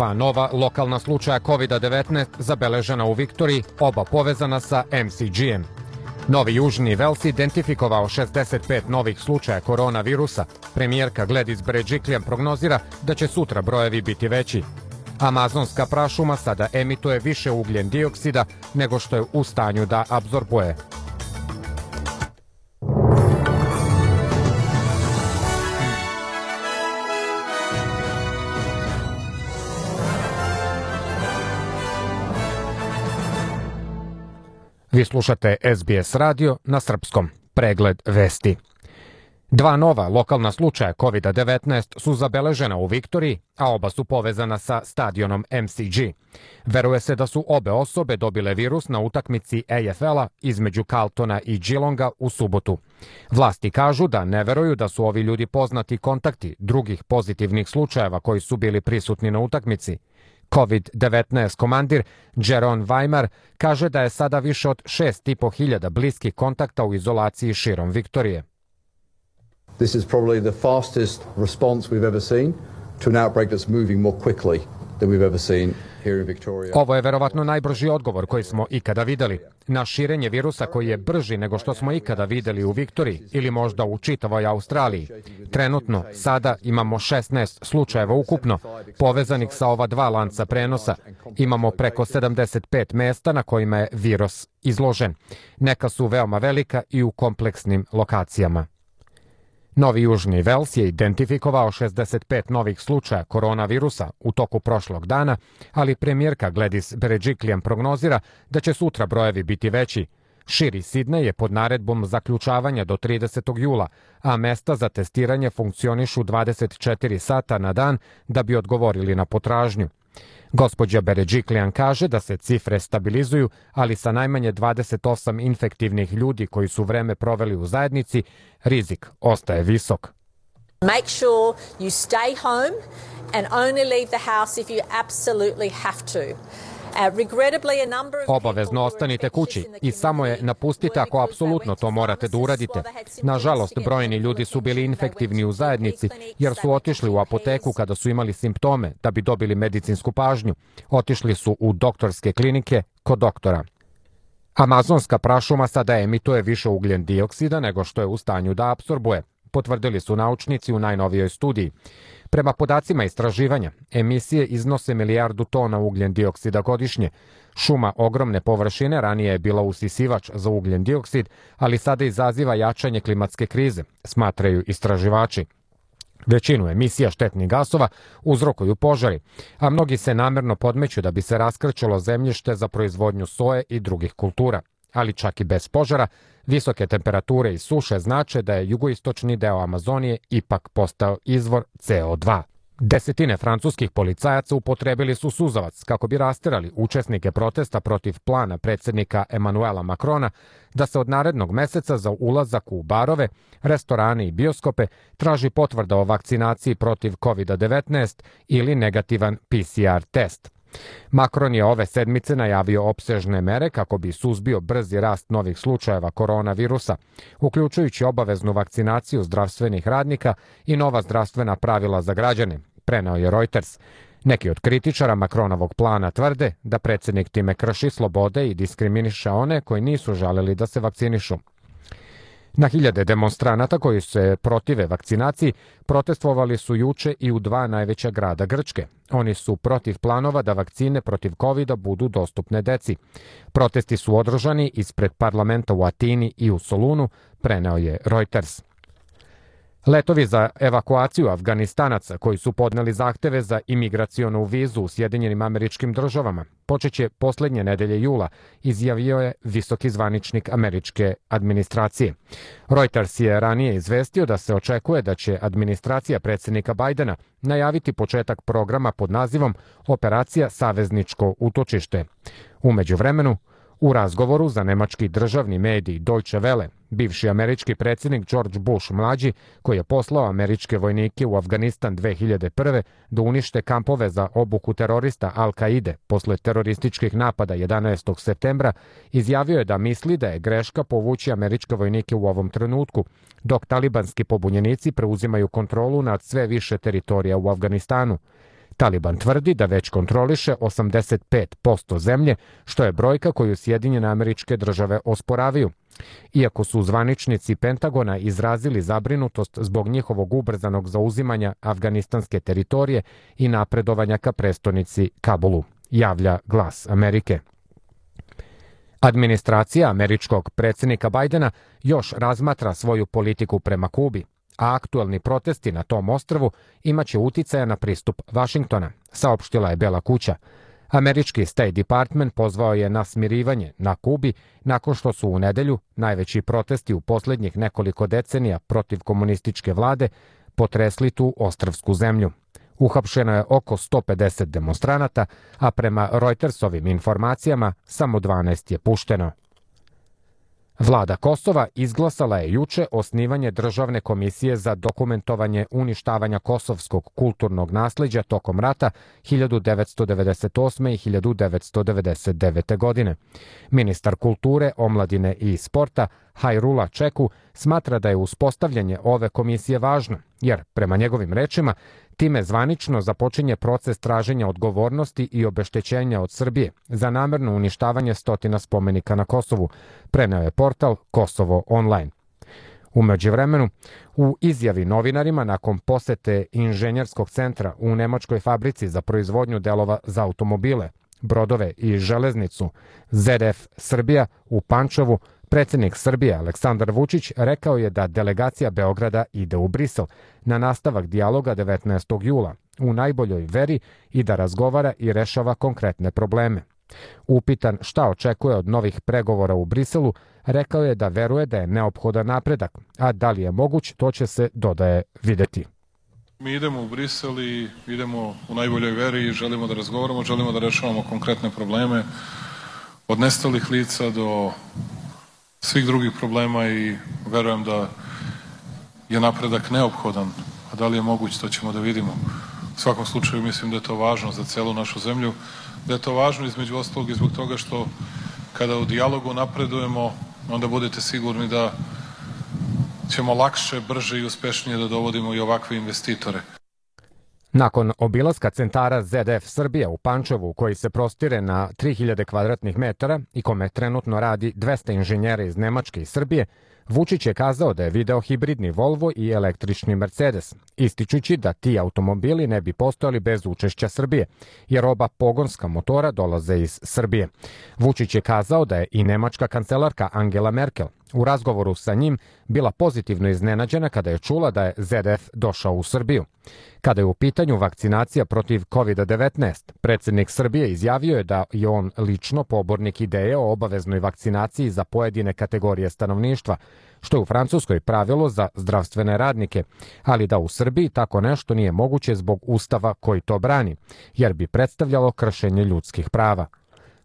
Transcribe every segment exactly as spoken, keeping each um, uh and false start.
Dva nova lokalna slučaja kovida devetnaest zabeležena u Viktoriji, oba povezana sa em si dži-em. Novi Južni Vels identifikovao šezdeset pet novih slučaja koronavirusa. Premijerka Gladys Berejiklian prognozira da će sutra brojevi biti veći. Amazonska prašuma sada emituje više ugljen dioksida nego što je u stanju da apsorbuje. Vi slušate es be es radio na srpskom. Pregled vesti. Dva nova lokalna slučaja kovida devetnaest su zabeležena u Viktoriji, a oba su povezana sa stadionom em si dži. Veruje se da su obe osobe dobile virus na utakmici a ef el-a između Carltona i Geelonga u subotu. Vlasti kažu da ne veruju da su ovi ljudi poznati kontakti drugih pozitivnih slučajeva koji su bili prisutni na utakmici. kovid devetnaest komandir Jeroen Weimar kaže da je sada više od šest i po hiljada bliskih kontakta u izolaciji širom Viktorije. This is probably the fastest response we've ever seen to an outbreak that's moving more quickly than we've ever seen here in Victoria. Ovo je verovatno najbrži odgovor koji smo ikada videli na širenje virusa koji je brži nego što smo ikada videli u Viktoriji ili možda u čitavoj Australiji. Trenutno sada imamo šesnaest slučajeva ukupno povezanih sa ova dva lanca prenosa. Imamo preko sedamdeset pet mesta na kojima je virus izložen. Neka su veoma velika i u kompleksnim lokacijama. Novi Južni Vels je identifikovao šezdeset pet novih slučaja koronavirusa u toku prošlog dana, ali premijerka Gladys Berejiklian prognozira da će sutra brojevi biti veći. Širi Sidnej je pod naredbom zaključavanja do tridesetog jula, a mesta za testiranje funkcionišu dvadeset četiri sata na dan da bi odgovorili na potražnju. Gospođa Berejiklian kaže da se cifre stabilizuju, ali sa najmanje dvadeset osam infektivnih ljudi koji su vreme proveli u zajednici, rizik ostaje visok. Make sure you stay home and only leave the house if you absolutely have to. Obavezno ostanite kući i samo je napustite ako apsolutno to morate da uradite. Nažalost, brojni ljudi su bili infektivni u zajednici jer su otišli u apoteku kada su imali simptome da bi dobili medicinsku pažnju. Otišli su u doktorske klinike kod doktora. Amazonska prašuma sada emituje više ugljen dioksida nego što je u stanju da apsorbuje, potvrdili su naučnici u najnovijoj studiji. Prema podacima istraživanja, emisije iznose milijardu tona ugljen dioksida godišnje. Šuma ogromne površine ranije je bila usisivač za ugljen dioksid, ali sada izaziva jačanje klimatske krize, smatraju istraživači. Većinu emisija štetnih gasova uzrokuju požari, a mnogi se namerno podmeću da bi se raskrčilo zemljište za proizvodnju soje i drugih kultura. Ali čak i bez požara, visoke temperature i suše znače da je jugoistočni deo Amazonije ipak postao izvor ce o dva. Desetine francuskih policajaca upotrebili su suzavac kako bi rasterali učesnike protesta protiv plana predsjednika Emmanuela Macrona da se od narednog meseca za ulazak u barove, restorane i bioskope traži potvrda o vakcinaciji protiv kovida devetnaest ili negativan pe ce er test. Macron je ove sedmice najavio opsežne mere kako bi suzbio brzi rast novih slučajeva koronavirusa, uključujući obaveznu vakcinaciju zdravstvenih radnika i nova zdravstvena pravila za građane, preneo je Reuters. Neki od kritičara Macronovog plana tvrde da predsjednik time krši slobode i diskriminiše one koji nisu želeli da se vakcinišu. Na hiljade demonstranata koji se protive vakcinaciji protestovali su juče i u dva najveća grada Grčke. Oni su protiv planova da vakcine protiv kovida budu dostupne deci. Protesti su održani ispred parlamenta u Atini i u Solunu, preneo je Reuters. Letovi za evakuaciju Afganistanaca koji su podneli zahteve za imigracionu vizu u Sjedinjenim Američkim Državama počeće posljednje nedelje jula, izjavio je visoki zvaničnik američke administracije. Reuters je ranije izvestio da se očekuje da će administracija predsjednika Bajdena najaviti početak programa pod nazivom Operacija Savezničko utočište. U međuvremenu, u razgovoru za nemački državni medij Deutsche Welle, bivši američki predsjednik George Bush mlađi, koji je poslao američke vojnike u Afganistan dve hiljade prve da unište kampove za obuku terorista Al-Kaide posle terorističkih napada jedanaestog septembra, izjavio je da misli da je greška povući američke vojnike u ovom trenutku, dok talibanski pobunjenici preuzimaju kontrolu nad sve više teritorija u Afganistanu. Taliban tvrdi da već kontroliše osamdeset pet posto zemlje, što je brojka koju Sjedinjene Američke Države osporavaju. Iako su zvaničnici Pentagona izrazili zabrinutost zbog njihovog ubrzanog zauzimanja afganistanske teritorije i napredovanja ka prestonici Kabulu, javlja Glas Amerike. Administracija američkog predsjednika Bajdena još razmatra svoju politiku prema Kubi, a aktuelni protesti na tom ostrvu imaće uticaja na pristup Vašingtona, saopštila je Bela kuća. Američki State Department pozvao je na smirivanje na Kubi nakon što su u nedelju najveći protesti u posljednjih nekoliko decenija protiv komunističke vlade potresli tu ostrvsku zemlju. Uhapšeno je oko sto pedeset demonstranata, a prema Reutersovim informacijama samo dvanaest je pušteno. Vlada Kosova izglasala je juče osnivanje Državne komisije za dokumentovanje uništavanja kosovskog kulturnog nasleđa tokom rata hiljadu devetsto devedeset osme. i hiljadu devetsto devedeset devete. godine. Ministar kulture, omladine i sporta Hajrula Čeku smatra da je uspostavljanje ove komisije važno, jer, prema njegovim rečima, time zvanično započinje proces traženja odgovornosti i obeštećenja od Srbije za namerno uništavanje stotina spomenika na Kosovu, preneo je portal Kosovo online. U međuvremenu, u izjavi novinarima nakon posete inženjerskog centra u nemačkoj fabrici za proizvodnju delova za automobile, brodove i železnicu Z F Srbija u Pančevu, predsjednik Srbije Aleksandar Vučić rekao je da delegacija Beograda ide u Brisel na nastavak dijaloga devetnaestog jula u najboljoj veri i da razgovara i rešava konkretne probleme. Upitan šta očekuje od novih pregovora u Briselu, rekao je da veruje da je neophodan napredak, a da li je moguć, to će se, dodaje, videti. Mi idemo u Brisel i idemo u najboljoj veri i želimo da razgovaramo, želimo da rešavamo konkretne probleme, od nestalih lica do svih drugih problema i verujem da je napredak neophodan, a da li je moguć, to ćemo da vidimo. U svakom slučaju mislim da je to važno za celu našu zemlju, da je to važno između ostalog i zbog toga što kada u dijalogu napredujemo, onda budete sigurni da ćemo lakše, brže i uspešnije da dovodimo i ovakve investitore. Nakon obilaska centara Z F Srbija u Pančevu, koji se prostire na tri hiljade kvadratnih metara i kome trenutno radi dvesta inženjera iz Nemačke i Srbije, Vučić je kazao da je video hibridni Volvo i električni Mercedes, ističući da ti automobili ne bi postojali bez učešća Srbije, jer oba pogonska motora dolaze iz Srbije. Vučić je kazao da je i nemačka kancelarka Angela Merkel u razgovoru sa njim bila pozitivno iznenađena kada je čula da je Z F došao u Srbiju. Kada je u pitanju vakcinacija protiv kovid devetnaest, predsjednik Srbije izjavio je da je on lično pobornik ideje o obaveznoj vakcinaciji za pojedine kategorije stanovništva, što je u Francuskoj pravilo za zdravstvene radnike, ali da u Srbiji tako nešto nije moguće zbog ustava koji to brani, jer bi predstavljalo kršenje ljudskih prava.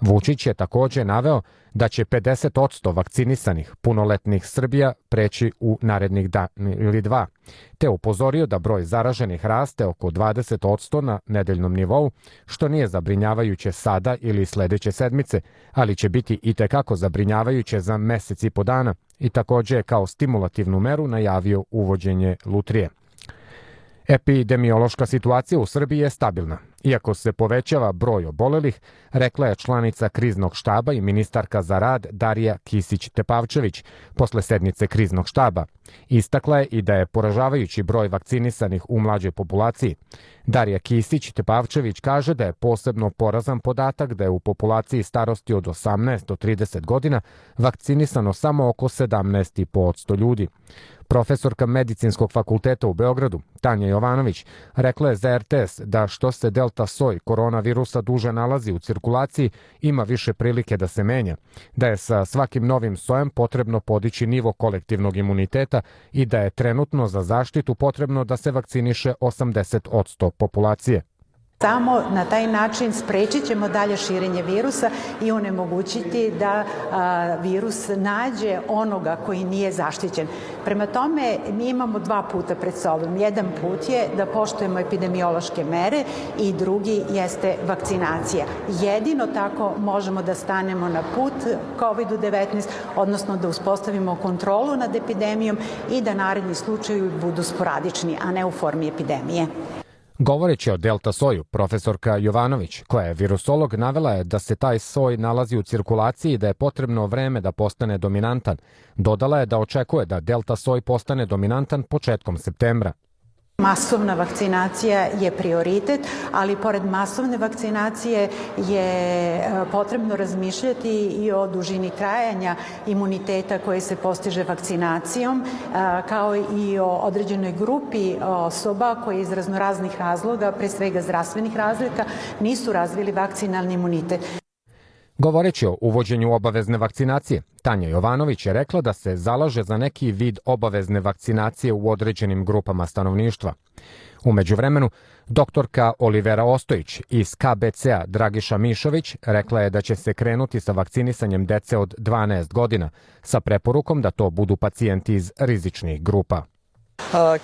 Vučić je također naveo da će pedeset posto vakcinisanih punoletnih Srbija preći u narednih dan ili dva, te upozorio da broj zaraženih raste oko dvadeset posto na nedeljnom nivou, što nije zabrinjavajuće sada ili sljedeće sedmice, ali će biti itekako zabrinjavajuće za mjesec i po dana, i također je kao stimulativnu meru najavio uvođenje lutrije. Epidemiološka situacija u Srbiji je stabilna. Iako se povećava broj obolelih, rekla je članica kriznog štaba i ministarka za rad Darija Kisić-Tepavčević posle sednice kriznog štaba. Istakla je i da je poražavajući broj vakcinisanih u mlađoj populaciji. Darija Kisić-Tepavčević kaže da je posebno porazan podatak da je u populaciji starosti od osamnaest do trideset godina vakcinisano samo oko sedamnaest zarez pet posto ljudi. Profesorka Medicinskog fakulteta u Beogradu, Tanja Jovanović, rekla je za R T S da što se delta soj koronavirusa duže nalazi u cirkulaciji, ima više prilike da se menja, da je sa svakim novim sojem potrebno podići nivo kolektivnog imuniteta i da je trenutno za zaštitu potrebno da se vakciniše osamdeset posto populacije. Samo na taj način sprečit ćemo dalje širenje virusa i onemogućiti da a, virus nađe onoga koji nije zaštićen. Prema tome, mi imamo dva puta pred sobom. Jedan put je da poštujemo epidemiološke mere i drugi jeste vakcinacija. Jedino tako možemo da stanemo na put kovid devetnaest, odnosno da uspostavimo kontrolu nad epidemijom i da naredni slučajevi budu sporadični, a ne u formi epidemije. Govoreći o delta soju, profesorka Jovanović, koja je virusolog, navela je da se taj soj nalazi u cirkulaciji i da je potrebno vreme da postane dominantan. Dodala je da očekuje da delta soj postane dominantan početkom septembra. Masovna vakcinacija je prioritet, ali pored masovne vakcinacije je potrebno razmišljati i o dužini trajanja imuniteta koje se postiže vakcinacijom, kao i o određenoj grupi osoba koje iz raznoraznih razloga, pre svega zdravstvenih razlika, nisu razvili vakcinalni imunitet. Govoreći o uvođenju obavezne vakcinacije, Tanja Jovanović je rekla da se zalaže za neki vid obavezne vakcinacije u određenim grupama stanovništva. U međuvremenu, doktorka Olivera Ostojić iz K B C-a Dragiša Mišović rekla je da će se krenuti sa vakcinisanjem dece od dvanaest godina, sa preporukom da to budu pacijenti iz rizičnih grupa.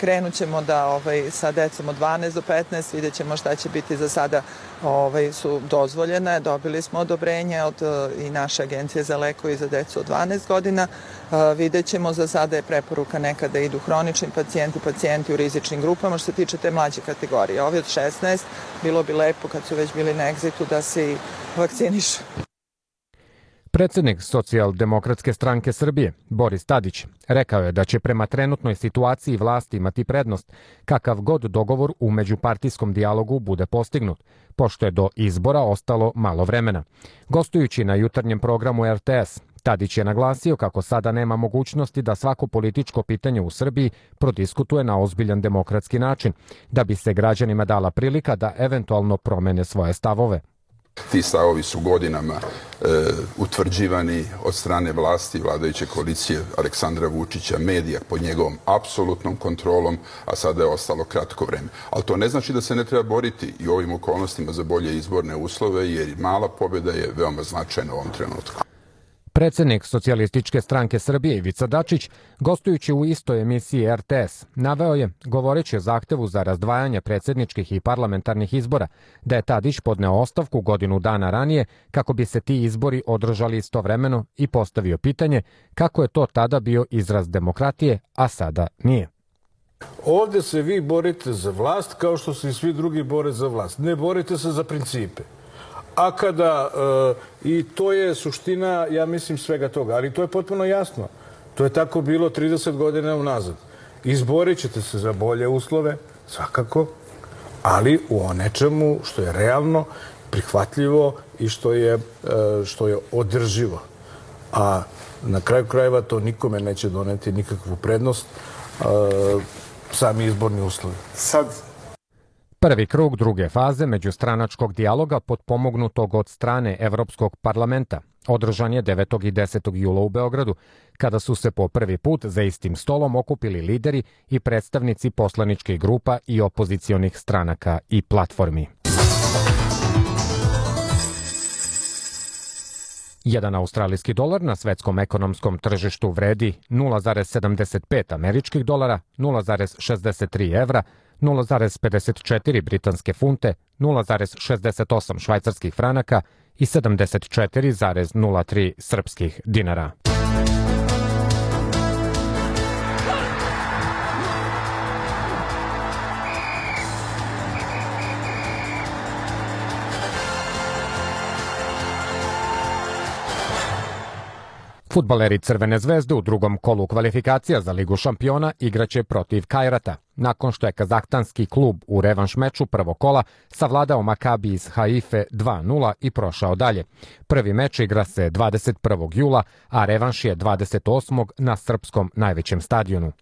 Krenut ćemo da ovaj, sa decom od dvanaest do petnaest, vidjet ćemo šta će biti. Za sada ovaj, su dozvoljene, dobili smo odobrenje od i naše agencije za lekove za decu od dvanaest godina. Vidjet ćemo, za sada je preporuka nekada idu hronični pacijenti, pacijenti u rizičnim grupama. Što se tiče te mlađe kategorije, ovi od šesnaest, bilo bi lepo kad su već bili na egzitu da se i vakcinišu. Predsednik Socijaldemokratske stranke Srbije, Boris Tadić, rekao je da će prema trenutnoj situaciji vlasti imati prednost, kakav god dogovor u međupartijskom dijalogu bude postignut, pošto je do izbora ostalo malo vremena. Gostujući na jutarnjem programu R T S, Tadić je naglasio kako sada nema mogućnosti da svako političko pitanje u Srbiji prodiskutuje na ozbiljan demokratski način, da bi se građanima dala prilika da eventualno promene svoje stavove. Ti stavovi su godinama e, utvrđivani od strane vlasti vladajuće koalicije Aleksandra Vučića, medija pod njegovom apsolutnom kontrolom, a sada je ostalo kratko vreme. Ali to ne znači da se ne treba boriti i u ovim okolnostima za bolje izborne uslove, jer mala pobjeda je veoma značajna u ovom trenutku. Predsednik Socijalističke stranke Srbije Ivica Dačić, gostujući u istoj emisiji R T S, naveo je, govoreći o zahtevu za razdvajanje predsedničkih i parlamentarnih izbora, da je Tadić podneo ostavku godinu dana ranije kako bi se ti izbori održali istovremeno i postavio pitanje kako je to tada bio izraz demokratije, a sada nije. Ovde se vi borite za vlast kao što se i svi drugi bore za vlast. Ne borite se za principe. A kada, i to je suština, ja mislim, svega toga, ali to je potpuno jasno. To je tako bilo trideset godina unazad. Izborit ćete se za bolje uslove, svakako, ali u nečemu što je realno, prihvatljivo i što je, što je održivo. A na kraju krajeva to nikome neće doneti nikakvu prednost, sami izborni uslovi. Sad... Prvi krug druge faze međustranačkog dijaloga potpomognutog od strane Evropskog parlamenta održan je devetog i desetog jula u Beogradu, kada su se po prvi put za istim stolom okupili lideri i predstavnici poslaničkih grupa i opozicionih stranaka i platformi. Jedan australijski dolar na svetskom ekonomskom tržištu vredi nula zarez sedamdeset pet američkih dolara, nula zarez šezdeset tri evra, nula zarez pedeset četiri britanske funte, nula zarez šezdeset osam švajcarskih franaka i sedamdeset četiri zarez nula tri srpskih dinara. Fudbaleri Crvene zvezde u drugom kolu kvalifikacija za Ligu šampiona igraće protiv Kajrata, nakon što je kazahstanski klub u revanš meču prvog kola savladao Makabi iz Haife dva nula i prošao dalje. Prvi meč igra se dvadeset prvog jula, a revanš je dvadeset osmog na srpskom najvećem stadionu.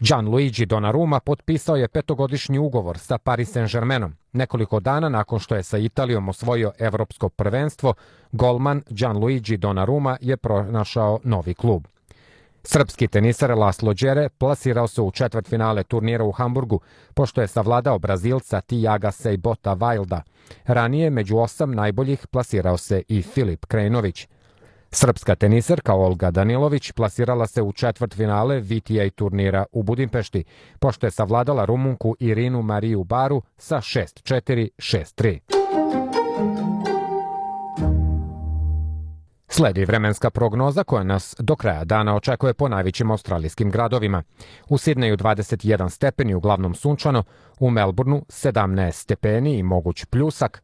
Gianluigi Donnarumma potpisao je petogodišnji ugovor sa Paris Saint-Germainom. Nekoliko dana nakon što je sa Italijom osvojio evropsko prvenstvo, golman Gianluigi Donnarumma je pronašao novi klub. Srpski tenisar Laslo Đere plasirao se u četvrtfinale turnira u Hamburgu, pošto je savladao Brazilca Tiaga Sejbota Wilda. Ranije među osam najboljih plasirao se i Filip Krajinović. Srpska tenisarka Olga Danilović plasirala se u četvrtfinale V T A turnira u Budimpešti, pošto je savladala Rumunku Irinu Mariju Baru sa šest četiri, šest tri. Sledi vremenska prognoza koja nas do kraja dana očekuje po najvećim australijskim gradovima. U Sidneju dvadeset jedan stepeni, uglavnom sunčano, u Melbourneu sedamnaest stepeni i moguć pljusak,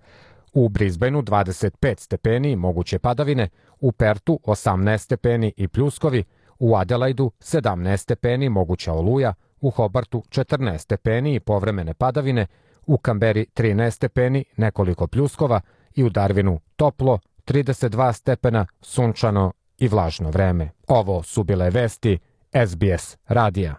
u Brisbaneu dvadeset pet stepeni i moguće padavine, u Pertu osamnaest stepeni i pljuskovi, u Adelaidu sedamnaest stepeni, moguća oluja, u Hobartu četrnaest stepeni i povremene padavine, u Kamberi trinaest stepeni, nekoliko pljuskova i u Darwinu toplo, trideset dva stepena, sunčano i vlažno vreme. Ovo su bile vesti S B S radija.